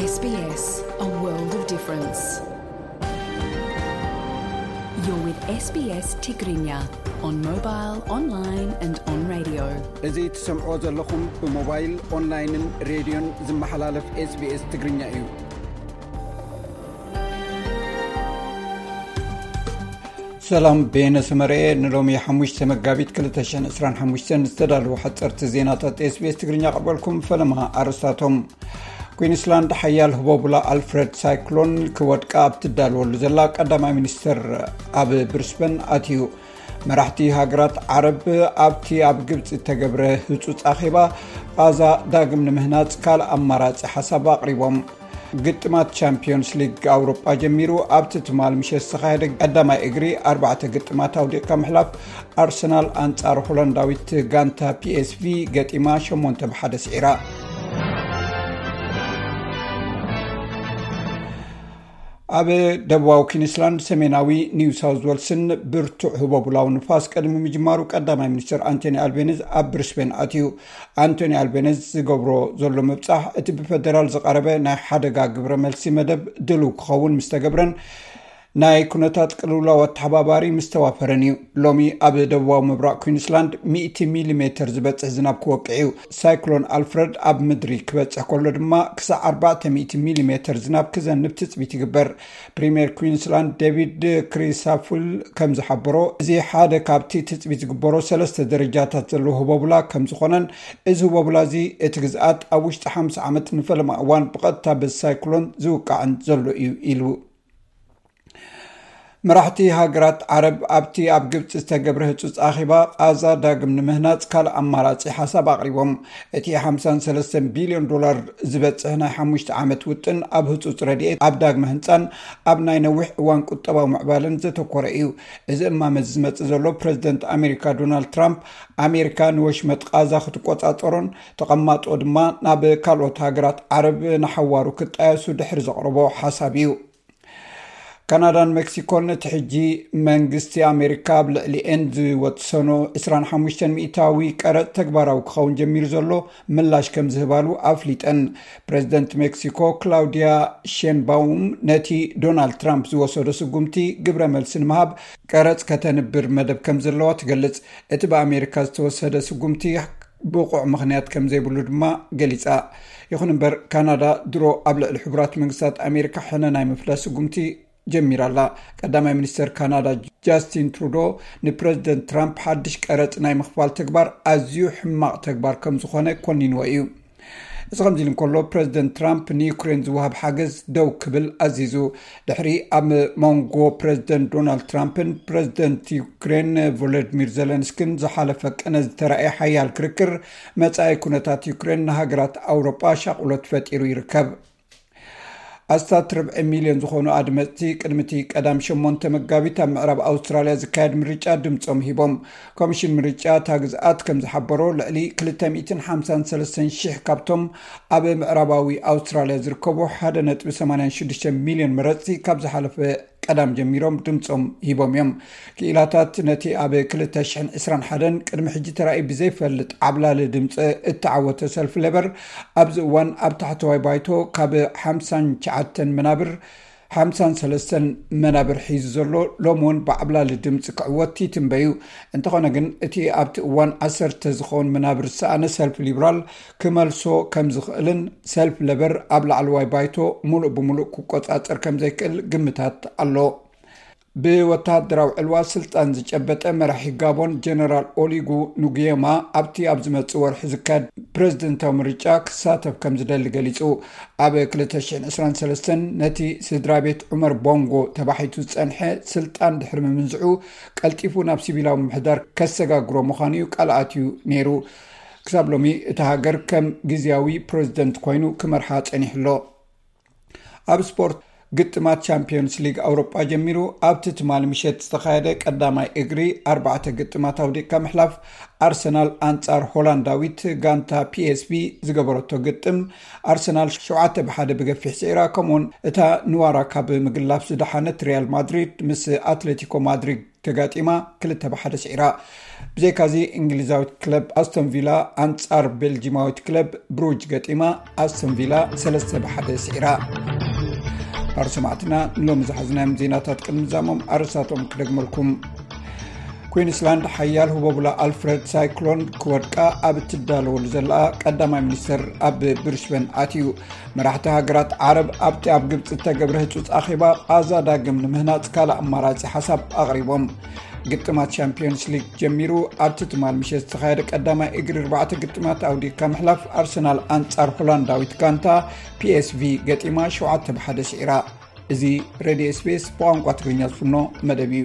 S B S, a world of difference. You're with S B S Tigrinya on mobile, online and on radio. እዚ ትሰምዖ ዘለኹም ብሞባይል፣ ኦንላይንን ሬድዮን ዝመሓላለፍ SBS ትግርኛ እዩ። ሰላም፣ ቤነ ሰመረኤ። ንሎሚ ሓሙሽተ መጋቢት ክልተ ሽሕን ዕስራን ሓሙሽተን ዝተዳለዉ ሓፀርቲ ዜናታት SBS ትግርኛ ቀርበልኩም። ፈለማ ኣርስታቶም። ኩዊንስላንድ ሓያል ህቦቡላ ኣልፍረድ ሳይክሎን ክወድቃ ኣብ ትዳለወሉ ዘላ ቀዳማይ ሚኒስትር ኣብ ብሪስበን ኣትዩ። መራሕቲ ሃገራት ዓረብ ኣብቲ ኣብ ግብፂ እተገብረ ህፁፅ ኣኼባ ቃዛ ዳግም ንምህናፅ ካልእ ኣማራፂ ሓሳብ ኣቕሪቦም። ግጥማት ቻምፒዮንስ ሊግ ኣውሮጳ ጀሚሩ ኣብቲ ትማል ምሸት ዝተኻየደ ቀዳማይ እግሪ ኣርባዕተ ግጥማት ኣውዲቕካ ምሕላፍ ኣርሰናል ኣንጻር ሆላንዳዊት ጋንታ PSV ገጢማ ሸሞንተ ብሓደ ስዒራ። ኣብ ደቡባዊ ኩዊንስላንድ ሰሜናዊ ኒው ሳውዝ ዌልስን ብርቱዕ ህቦቡላዊ ንፋስ ቅድሚ ምጅማሩ ቀዳማይ ሚኒስትር ኣንቶኒ ኣልቤኒዝ ኣብ ብሪስቤን ኣትዩ። ኣንቶኒ ኣልቤኒዝ ዝገብሮ ዘሎ ምብጻሕ እቲ ብፈደራል ዝቐረበ ናይ ሓደጋ ግብረ መልሲ መደብ ድልው ክኸውን ምስ ተገብረን ናይ ኩነታት ቅልውላው ኣተሓባባሪ ምስ ተዋፈረን እዩ። ሎሚ ኣብ ደቡባዊ ምብራቕ ኩዊንስላንድ ሚእቲ ሚሊሜተር ዝበጽሕ ዝናብ ክወቅዕ እዩ። ሳይክሎን ኣልፍረድ ኣብ ምድሪ ክበጽሕ ከሎ ድማ ክሳዕ ኣርባዕተ ሚእቲ ሚሊሜተር ዝናብ ክዘንብ ትጽቢት ይግበር። ፕሪምየር ኩዊንስላንድ ዴቪድ ክሪሳፉል ከም ዝሓበሮ፣ እዚ ሓደ ካብቲ ትጽቢት ዝግበሮ ሰለስተ ደረጃታት ዘለዎ ህቦቡላ ከም ዝኾነን፣ እዚ ህቦቡላ እዚ እቲ ግዝኣት ኣብ ውሽጢ ሓምሳ ዓመት ንፈለማ እዋን ብቐጥታ በዚ ሳይክሎን ዝውቃዕን ዘሎ እዩ ኢሉ። መራሕቲ ሃገራት ዓረብ ኣብቲ ኣብ ግብፂ ዝተገብረ ህፁፅ ኣኼባ ቃዛ ዳግም ንምህናፅ ካልእ ኣማራፂ ሓሳብ ኣቕሪቦም። እቲ ሓምሳን ሰለስተን ቢልዮን ዶላር ዝበፅሕ ናይ ሓሙሽተ ዓመት ውጥን ኣብ ህፁፅ ረድኤት፣ ኣብ ዳግመ ህንፃን ኣብ ናይ ነዊሕ እዋን ቁጠባዊ ምዕባለን ዘተኮረ እዩ። እዚ እማመ እዚ ዝመፅእ ዘሎ ፕረዚደንት ኣሜሪካ ዶናልድ ትራምፕ ኣሜሪካ ንወሽመጥ ቃዛ ክትቆፃፀሮን ተቐማጦ ድማ ናብ ካልኦት ሃገራት ዓረብ ንሓዋሩ ክጣየሱ ድሕሪ ዘቕረቦ ሓሳብ እዩ። ካናዳን ሜክሲኮን እቲ ሕጂ መንግስቲ ኣሜሪካ ኣብ ልዕሊኤን ዝወሰኖ ዕስራን ሓሙሽተን ሚእታዊ ቀረጽ ተግባራዊ ክኸውን ጀሚሩ ዘሎ ምላሽ ከም ዝህባሉ ኣፍሊጠን። ፕረዚደንት ሜክሲኮ ክላውዲያ ሼንባውም ነቲ ዶናልድ ትራምፕ ዝወሰዶ ስጉምቲ ግብረ መልሲ ንምሃብ ቀረጽ ከተንብር መደብ ከም ዘለዋ ትገልጽ። እቲ ብኣሜሪካ ዝተወሰደ ስጉምቲ ብቑዕ ምኽንያት ከም ዘይብሉ ድማ ገሊጻ። ይኹን እምበር፣ ካናዳ ድሮ ኣብ ልዕሊ ሕቡራት መንግስታት ኣሜሪካ ሕነ ናይ ምፍዳስ ስጉምቲ ጀሚራ ኣላ። ቀዳማይ ሚኒስተር ካናዳ ጃስቲን ትሩዶ ንፕረዚደንት ትራምፕ ሓድሽ ቀረጽ ናይ ምኽፋል ተግባር ኣዝዩ ሕማቕ ተግባር ከም ዝኾነ ኮኒንዎ እዩ። እዚ ከምዚ ኢሉ እንከሎ፣ ፕረዚደንት ትራምፕ ንዩክሬን ዝወሃብ ሓገዝ ደው ክብል ኣዚዙ። ድሕሪ ኣብ መንጎ ፕረዚደንት ዶናልድ ትራምፕን ፕረዚደንት ዩክሬን ቮሎዲሚር ዘለንስኪን ዝሓለፈ ቅነ ዝተራእየ ሓያል ክርክር፣ መጻኢ ኩነታት ዩክሬን ንሃገራት ኣውሮጳ ሻቕሎት ፈጢሩ ይርከብ። ኣስታት ርብዒ ሚልዮን ዝኾኑ ኣድመፅቲ ቅድሚ እቲ ቀዳም ሸሞንተ መጋቢት ኣብ ምዕራብ ኣውስትራልያ ዝካየድ ምርጫ ድምፆም ሂቦም። ኮሚሽን ምርጫ እታ ግዝኣት ከም ዝሓበሮ፣ ልዕሊ ክልተ ሚእትን ሓምሳን ሰለስተን ሽሕ ካብቶም ኣብ ምዕራባዊ ኣውስትራልያ ዝርከቡ ሓደ ነጥቢ ሰማንያን ሽዱሽተ ሚልዮን መረፅቲ ካብ ዝሓለፈ ቀዳም ጀሚሮም ድምፆም ሂቦም እዮም። ክኢላታት ነቲ ኣብ ክልተ ሽሕን ዕስራን ሓደን ቅድሚ ሕጂ ተራእዩ ብዘይፈልጥ ዓብላሊ ድምፂ እተዓወተ ሰልፊ ሌበር ኣብዚ እዋን ኣብ ታሕተዋይ ባይቶ ካብ ሓምሳን ትሽዓተን መናብር ሓምሳን ሰለስተን መናብር ሒዙ ዘሎ፣ ሎሚ እውን ብዓብላሊ ድምፂ ክዕወት ይትንበዩ። እንተኾነ ግን፣ እቲ ኣብቲ እዋን ዓሰርተ ዝኸውን መናብር ዝሰኣነ ሰልፊ ሊብራል ክመልሶ ከም ዝኽእልን ሰልፊ ሌበር ኣብ ላዕለዋይ ባይቶ ሙሉእ ብሙሉእ ክቆጻጸር ከም ዘይክእል ግምታት ኣሎ። ብወተሃደራዊ ዕልዋ ስልጣን ዝጨበጠ መራሒ ጋቦን ጀነራል ኦሊጉ ኑጉየማ ኣብቲ ኣብ ዝመጽእ ወርሒ ዝካየድ ፕረዚደንታዊ ምርጫ ክሳተፍ ከም ዝደሊ ገሊጹ። ኣብ ክልተ ሽሕን ዕስራን ሰለስተን ነቲ ስድራ ቤት ዑመር ቦንጎ ተባሒቱ ዝጸንሐ ስልጣን ድሕሪ ምምንዝዑ፣ ቀልጢፉ ናብ ሲቪላዊ ምምሕዳር ከሰጋግሮ ምዃኑ እዩ ቃል ኣትዩ ነይሩ። ክሳብ ሎሚ እታ ሃገር ከም ግዝያዊ ፕረዚደንት ኮይኑ ክመርሓ ጸኒሑ ኣሎ። ኣብ ስፖርት፣ ግጥማት ቻምፒዮንስ ሊግ ኣውሮጳ ጀሚሩ። ኣብቲ ትማሊ ምሸት ዝተኻየደ ቀዳማይ እግሪ፣ ኣርባዕተ ግጥማት ኣውዲቕካ ምሕላፍ ኣርሰናል ኣንጻር ሆላንዳዊት ጋንታ ፒኤስቪ ዝገበረቶ ግጥም፣ ኣርሰናል ሸውዓተ ብሓደ ብገፊሕ ስዒራ። ከምኡውን እታ ንዋራ ካብ ምግላፍ ዝደሓነት ሪያል ማድሪድ ምስ ኣትሌቲኮ ማድሪድ ተጋጢማ ክልተ ብሓደ ስዒራ። ብዘይካዚ እንግሊዛዊት ክለብ ኣስቶን ቪላ ኣንጻር ቤልጂማዊት ክለብ ብሩጅ ገጢማ ኣስቶን ቪላ ሰለስተ ብሓደ ስዒራ። ባር ሰማዕትና ንሎሚ ዝሓዝናዮም ዜናታት ቅድሚ ዛሞም ኣርእስታቶም ክደግመልኩም። ኩዊንስላንድ ሓያል ህቦብላ ኣልፍረድ ሳይክሎን ክወድቃ ኣብ እትዳለወሉ ዘላ ቀዳማይ ሚኒስተር ኣብ ብሪስበን ኣትዩ። መራሕቲ ሃገራት ዓረብ ኣብቲ ኣብ ግብፂ እተገብረ ህፁፅ ኣኼባ ቓዛ ዳግም ንምህናፅ ካልእ ኣማራፂ ሓሳብ ኣቕሪቦም። ግጥማት ሻምፒዮንስ ሊግ ጀሚሩ። ኣብቲ ትማል ምሸት ዝተኻየደ ቀዳማይ እግሪ ኣርባዕተ ግጥማት ኣውዲካ ምሕላፍ ኣርሰናል ኣንጻር ሆላንዳዊት ጋንታ ፒኤስቪ ገጢማ ሸውዓተ ብሓደ ስዒራ። እዚ ሬድዮ ኤስቢኤስ ብቋንቋ ትግርኛ ዝፍኖ መደብ እዩ።